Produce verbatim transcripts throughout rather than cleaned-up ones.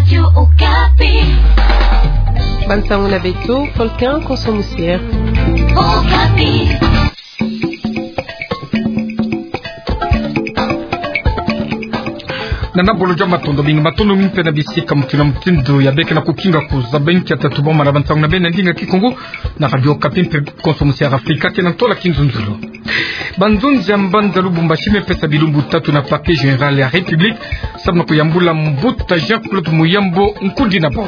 Radio Okapi. Bansango na beto, Volcan Konso Musier. Okapi. Na nabolo jwa matondo mingi, matondo mingi mpe na bisika mutindu na mutindu ya beke na kukinga kuzaba inki ya tatuba ma na bansango na beno na ndinga Kikongo na Radio Okapi mpe Konso Musier Afrika, kena ntola kinzonzolo. Banzonzi ya mbanza Lubumbashi me pesa bilumbu tatu na Parquet Général ya République, samu na kuyambula mbuta Jean-Claude Muyambo nkundi na bau.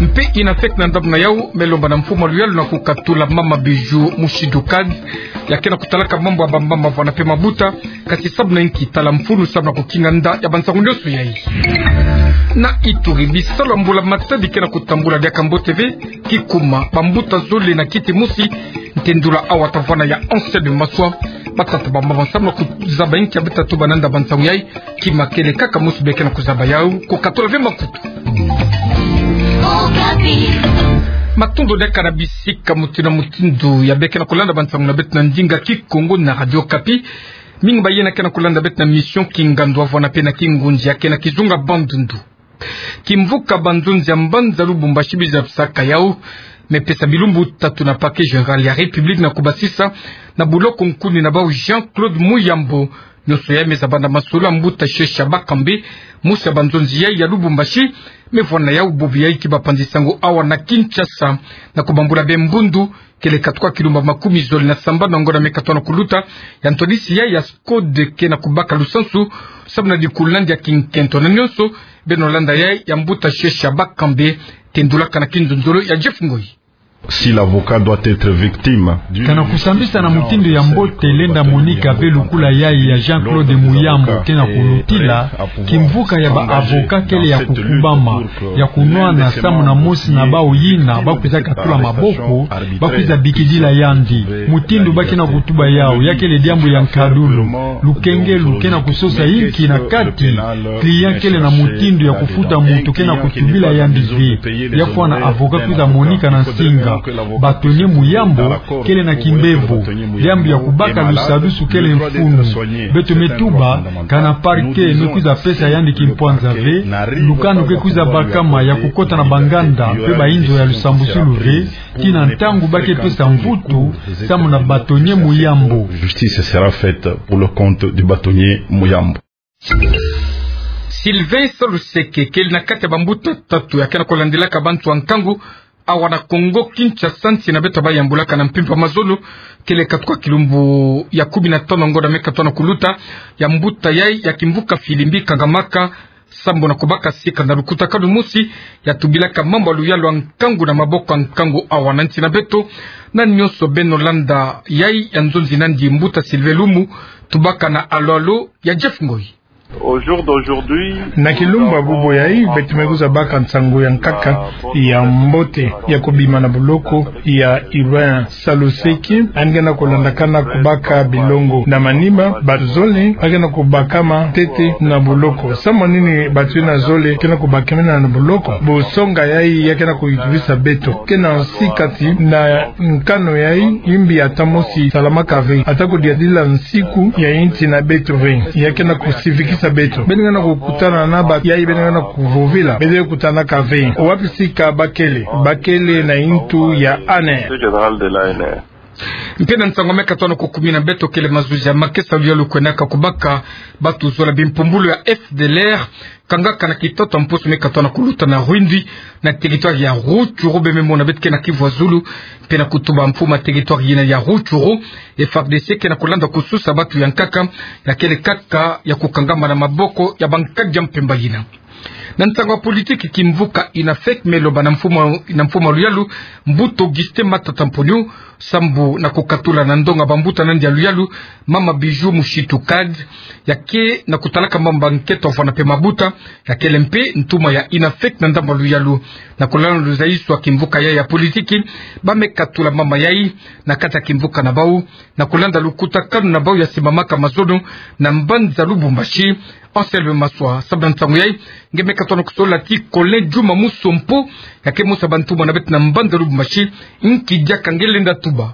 Mpe INAFEC na ndambu na yau me lomba na mfumu a luyalu na kukatula mama Bijou Mushidukad, ya ke na kutalaka mambu ya bamama vwanda mpe mabuta, kasi samu na inki? Tala mfunu samu na kukinga nda ya bansango nyonso yai. Na Ituri, bisalu ya mbula-matadi ke na kutambula diaka mbote ve, kikuma bambuta zole na kiti mosi, ntendula awa tavana ya Anselme Maswa, batata bamama samu na kuzaba inki ya beta tatuba na nda bansango yai, kima kele kaka mosi beke na kuzaba yau, kukatula ve makutu. Matondo diaka na bisika mutindu na mutindu ya beke na kulanda bansango na beto na ndinga Kikongo na Radio Okapi. Mingi bayina ke na kulanda beto na mission Kingando vwanda mpe na Kingunza ya ke na kizunga Bandundu. Kimvuka banzonzi ya mbanza Lubumbashi biza pisaka yau, me pesa bilumbu tatu na Parquet Général ya République na kubasisa na buloko nkundi na bau Jean-Claude Muyambo. Nyonso yai me zabanda masolo ya mbuta Shesha Bakambe, mosi ya banzonzi yai ya Lubumbashi, me vwanda yau bobo yai ki bapanzi sango awa na Kinshasa, na kubambula be mbundu, kele katuka kilumba makumi zole na sambanu na ngonda me katuka na kuluta, ya ntwadisi yai ya SCODE ke na kubaka lusansu, samu na dikulunandi ya kinkento na nyonso. Beno landa yai ya mbuta Shesha Bakambe, tendulaka na kinzonzolo ya Jeff Ngoi. Si l'avocat doit être victime d'une... Kana kusambisa na mutindu ya mbote lenda monika ve lukula yai ya Jean-Claude Muyambo ke na kulutila, kimvuka ya ba avocat kele ya kukubama, ya kunwana samu na mosi na bau yina bakwiza katula maboko, bakwiza bikidila yandi. Mutindu ba ke na kutuba yau, ya kele diambu ya nkadulu. Lukengelu ke na kusosa inki na kati, client kele na mutindu ya kufuta muntu ke na kutubila yandi ve. Ya fwana avocat kwiza monika na nsinga. Bâtonnier Muyambo kele na kimbevo. Diambu ya kubaka lusadusu kele mfunu. Beto me tuba, kana parquet me kwiza pesa yandi kimpwanza ve, lukanu ke kwiza bakama ya kukota na banganda mpe bainzo ya lusambusulu ve, tii na ntangu ba ke pesa mvutu samu na bâtonnier Muyambo. Justice sera faite pour le compte du bâtonnier Muyambo. Sylvain Saluseke kele na kati ya bambuta tatu ya ke na kulandilaka bantu ya nkangu awa na Kongo Kinshasa, nsi na beto bayambulaka na mpimpa mazono, kele katuka kilumbu ya kumi na tanu na ngonda me katuka na kuluta, ya mbuta yai ya kimvuka Filimbi kangamaka sambu na kubaka sika na lukutakanu mosi ya tubilaka mambu ya luyalu ya nkangu na maboko ya nkangu awa na nsi na beto. Na nyonso beno landa yai ya nzonzi nandi mbuta Sylvain Lumu, tubaka na Alo Alo ya Jeff Ngoi. Au jour d'aujourd'hui, na kilumbu ya bubu yai, beto me kwiza baka nsangu ya nkaka, ya mbote, ya kubima na buloko ya Sylvain Saluseke, yandi ke na kulandakana kubaka bilongo. Na manima, bato zole ba ke na kubakama ntete na buloko. Samu na nini bato yina zole ke na kubakamena na buloko? Busonga yai ya ke na kuyitubisa beto. Ke na nsi kati na nkanu yai, yimbi ata mosi salamaka ve. Ata kudiadila nsiku ya insi na beto ve. Ya ke na kusivikisa beto. Beno ke na kukutana na bato yai, beno ke na kuvovila, beno kutanaka ve. Wapi sika ba kele? Ba kele na yintu ya A N R. Mpe na nsangu me katuka na kukumina beto, kele mazuzi ya makesa luyalu kwenaka kubaka bato zola bimpumbulu ya F D L R, kangaka na kitatu ya mposo me katuka na kuluta na Rwindi, na territoire ya Rutshuru. Beno me mona beto ke na kivwa zulu, mpe na kutuba mfumu ya territoire yina ya Rutshuru, F A R D C ke na kulanda kususa bato ya nkaka, ya kele kaka ya kukangama na maboko ya bankadi ya mpemba yina. Na nsangu ya politiki, kimvuka INAFEC me loba na mfumu, na mfumu ya luyalu, mbuta Augustin Matata Mponyo, sambu na kukatula na ndonga bambuta nandi ya luyalu, mama Bijou Mushitukad, ya ke na kutalaka mambu ya nkento ya vwanda mpe mabuta, ya kele mpe ntuma ya INAFEC na ndambu ya luyalu. Na kulanda luzayisu ya kimvuka yai ya politiki, ba me katula mama yai na kati ya kimvuka na bau, na kulanda lukutakanu na bau ya simbamaka mazono na mbanza Lubumbashi. Anselme Maswa, samu na nsangu yai, nge me katuka na kusolola ti Colin Djuma Musompo, ya ke mosi ya bantuma na beto na mbanza Lubumbashi, nki diaka nge lenda tuba.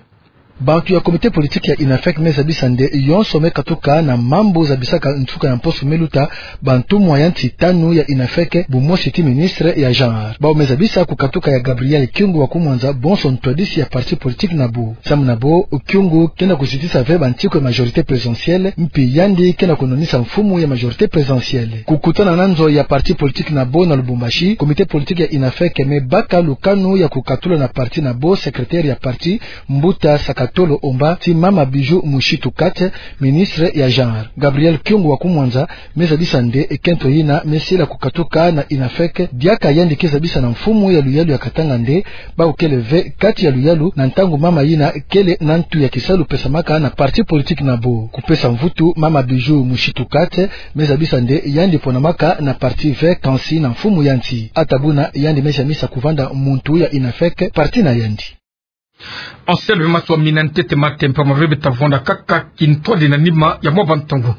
Bantu ya comité politique ya INAFEC me zabisa nde yonso me katuka na mambu zabisaka nsuka ya mposo me luta bantumwa ya nsi tanu ya INAFEC, bu mosi ti ministre ya genre. Bau me zabisa kukatuka ya Gabriel Kyungu wa Kumwanza bonso ntwadisi ya parti politique na bo. Samu na bo, Kyungu ke na kuzitisa ve bansiku ya majorité présidentielle, mpi yandi ke na kunwanisa mfumu ya majorité présidentielle. Kukutana na nzo ya parti politique na bo na Lubumbashi, comité politique ya INAFEC me baka lukanu ya kukatula na parti na bo secrétaire ya parti, Mbuta Sakatolo Omba, ti Mama Bijou Mushitu Kate, ministre ya genre. Gabriel Kyungu wa Kumwanza me zabisa nde kento yina me sila kukatuka na INAFEC, diaka yandi ke zabisa na mfumu ya luyalu ya Katanga nde bau kele ve kati ya luyalu na ntangu mama yina kele na ntu ya kisalu pesamaka na parti politique na bo. Kupesa mvutu Mama Bijou Mushitu Kate me zabisa nde yandi ponamaka na parti ve kansi na mfumu ya nsi. Ata buna yandi me jamisa kuvanda muntu ya INAFEC parti na yandi. Anselme Maswa, mina ntete Matempa, maveve ta vwanda kaka kintwadi na nima ya mwa bantangu.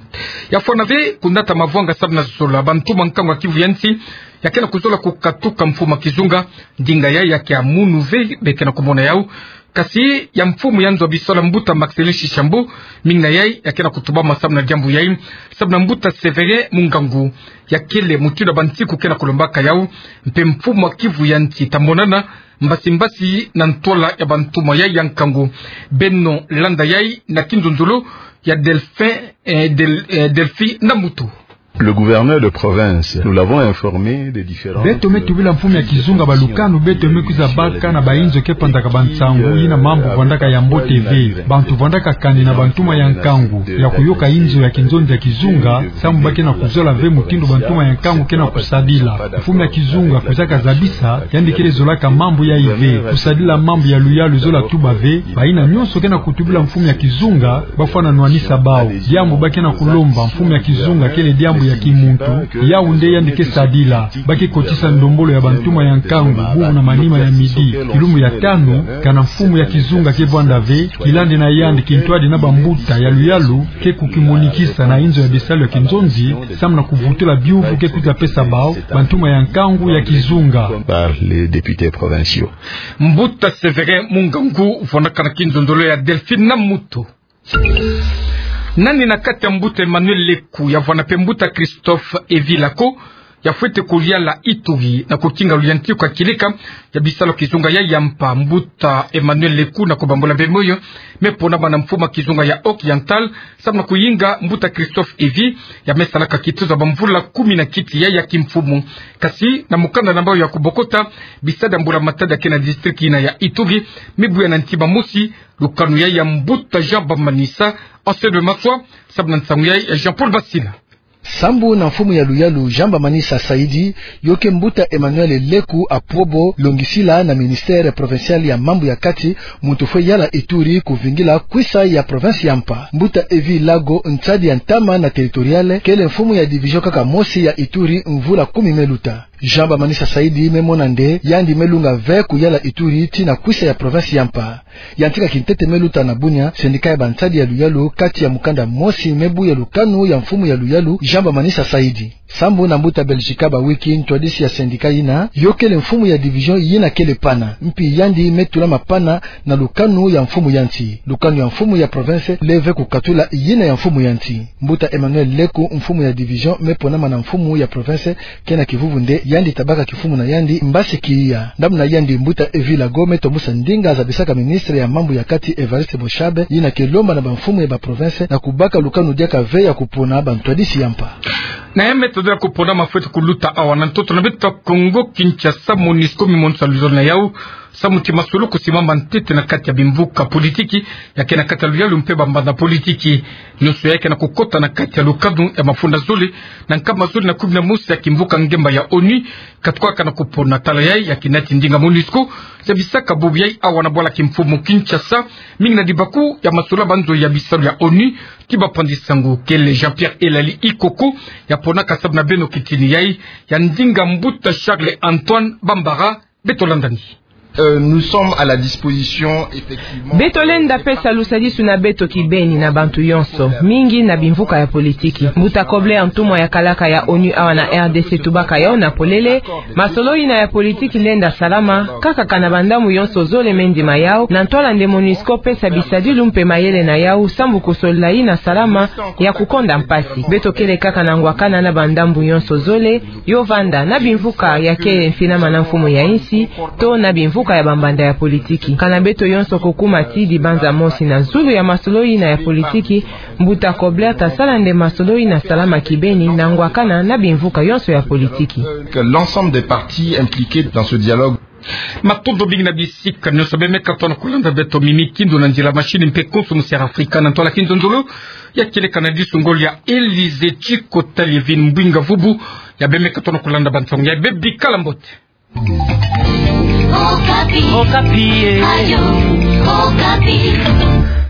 Ya fwana ve kunata mavwanga samu na zola bantumwa nkangu ya Kivu ya nsi, ya ke na kuzola kukatuka mfumu ya kizunga, ndinga yai ya ke ya munu ve be ke na kumona yau. Kasi ya mfumu ya nzo ya bisalu Mbuta Marcellin Tshisambu, mingi na yai ya ke na kutubama samu na diambu yai, samu na Mbuta Sévérin Mungangu, ya kele mutindu ya bansiku ke na kulombaka yau, mpe mfumu ya Kivu ya nsi ta monana mbasi mbasi na ntwala ya bantumwa yai ya nkangu. Beno landa yai na kinzonzolo ya Delphin, eh, Del-, eh, Delphi Namutu. Le gouverneur de province, nous l'avons informé des différents... Beto me tubila mfumu ya kizunga balukanu beto me kwiza baka na bainzo ke panzaka bansangu, yina mambu vwandaka ya mbote ve. Bantu vwandaka kani na bantumwa ya nkangu ya kuyoka inzo ya kinzonzi ya kizunga, samu ba ke na kuzola ve mutindu bantumwa ya nkangu ke na kusadila. Mfumu ya kizunga kwizaka zabisa, yandi kele zolaka mambu yai ve. Kusadila mambu ya luyalu zola tuba ve, bayina nyonso ke na kutubila mfumu ya kizunga, ba fwana nwanisa bau. Diambu ba ke na kulomba mfumu ya kizunga kele diambu ya kimuntu, yau nde yandi ke sadila. Ba ke kotisa ndombolo ya bantumwa ya nkangu bubu na manima ya midi, kilumbu ya tanu, kana mfumu ya kizunga ke vwanda ve, kilandi na yandi kintwadi na bambuta ya luyalu ke kukimonikisa na inzo ya bisalu ya kinzonzi, samu na kuvutula biuvu ke kwiza pesa bau bantumwa ya nkangu ya kizunga. Par les députés provinciaux. Mbuta Sévérin Mungangu, vwandaka na kinzonzolo ya Delphine Namutu. Nani na kati ya mbuta Emmanuel Leku, ya vwanda mpe mbuta Christophe Evilako, ya fwete kuliala Ituri na kukinga luyantiku ya kileka ya bisalu ya kizunga ya yampa. Mbuta Emmanuel Leku, na kubambula mpe moyo, me ponama na mfumu ya kizunga ya Oriental, samu na kuyinga mbuta Christophe Evi, ya me salaka kituza bamvula kumi na kiti ya, ya kimfumu. Kasi na mukanda na bau ya kubokota, bisadi ya mbula matadi ya ke na district yina ya Ituri, me buya na ntima mosi, lukanu ya, ya mbuta Jean Bamanisa, Anselme Maswa, samu na nsangu ya, ya Jean-Paul Basila. Sambu na mfumu ya luyalu Jean Bamanisa Saidi, yo ke mbuta Emmanuel Leku Apwobo, longisila na ministère provincial ya mambu ya kati, muntu fwe yala Ituri kuvingila kwisa ya province ya mpa. Mbuta Evi Lago, nsadi ya ntama na territorial, kele mfumu ya division kaka mosi ya Ituri mvula kumi me luta. Jean Bamanisa Saidi me mona nde yandi me lunga ve kuyala Ituri tii na kwisa ya province ya mpa. Yantika kintete me luta na Bunia, syndicat ya bansadi ya luyalu, kati ya mukanda mosi me buya lukanu ya mfumu ya luyalu Jean Bamanisa Saidi. Sambu na mbuta Belgica Bawiki, ntwadisi ya syndicat yina, yo kele mfumu ya division yina kele pana, mpi yandi me tulama pana na lukanu ya mfumu ya nsi. Lukanu ya mfumu ya province le ve kukatula yina ya mfumu ya nsi. Mbuta Emmanuel Leku, mfumu ya division, me ponama na mfumu ya province, ke na kivuvu nde yandi ta baka kimfumu na yandi mbasi kiya. Ndambu na yandi, mbuta Evi Lago me tombusa ndinga zabisaka ministre ya mambu ya kati Evariste Boshabe, yina ke lomba na bamfumu ya baprovince na kubaka lukanu diaka ve ya kupona bantwadisi ya mpa. Na ya me todela kupona mafweti kuluta awa na ntoto na beto Kongo Kinshasa, MONUSCO me monisa luzolo na yau samu ti masolo kusimama ntete na kati ya bimvuka politiki ya ke na kati ya luyalu mpe bambanza politiki. Nyonso yai ke na kukota na kati ya lukanu ya mafunda zole na nkama zole na kumi na mosi ya kimvuka ngemba ya ONU, katukaka na kupona. Tala yai ya kinati ndinga MONUSCO zabisaka bubu yai awa na bwala kimfumu Kinshasa, mingi na dibaku ya masolo ya banzo ya bisalu ya ONU, ti bapanzi sango kele Jean-Pierre Elali Ikoko, ya ponaka samu na beno kitini yai ya ndinga mbuta Charles Antoine Bambara. Beto landani. Euh, nous sommes à la disposition, effectivement. Beto lenda pesa lusadisu na beto kibeni na bantu yonso, mingi na bimvuka ya politiki. Mbuta Kobler, ntumwa ya kalaka ya onu awa na R D C, tubaka yawu na polele: masolo ina ya politiki lenda salama kaka kana bandambu yonso zole me ndima yawu, na ntwala nde MONUSCO pesa bisadilu mpe mayele na yawu sambu kusolila ina salama ya kukonda mpasi. Beto kele kaka na ngwakana na bandambu yonso zole, yo vanda na bimvuka ya kele mfinama na mfumu ya insi, to na bimvuka ya bambanda ya politiki. Kana beto yonso kukuma ti dibanza mosi na zulu ya masolo ina ya politiki, Mbuta Kobler tasala nde masolo ina salama kibeni na ngwakana na bimvuka yonso ya politiki. Que l'ensemble des partis impliqués dans ce dialogue. Matondo mingi na bisika nyonso bemeka tona kulanda beto. Mimi Kindu na nzila machine mpe konso musi ya Afrika na ntwala kinzonzolo ya kieleka na disu ngolo ya Elysée Tchicot Liévin Mbwinga Vubu, ya bemeka tona kulanda bansangu ya bebi. Kala mbote. Okapi. Okapi, eh. Radio Okapi.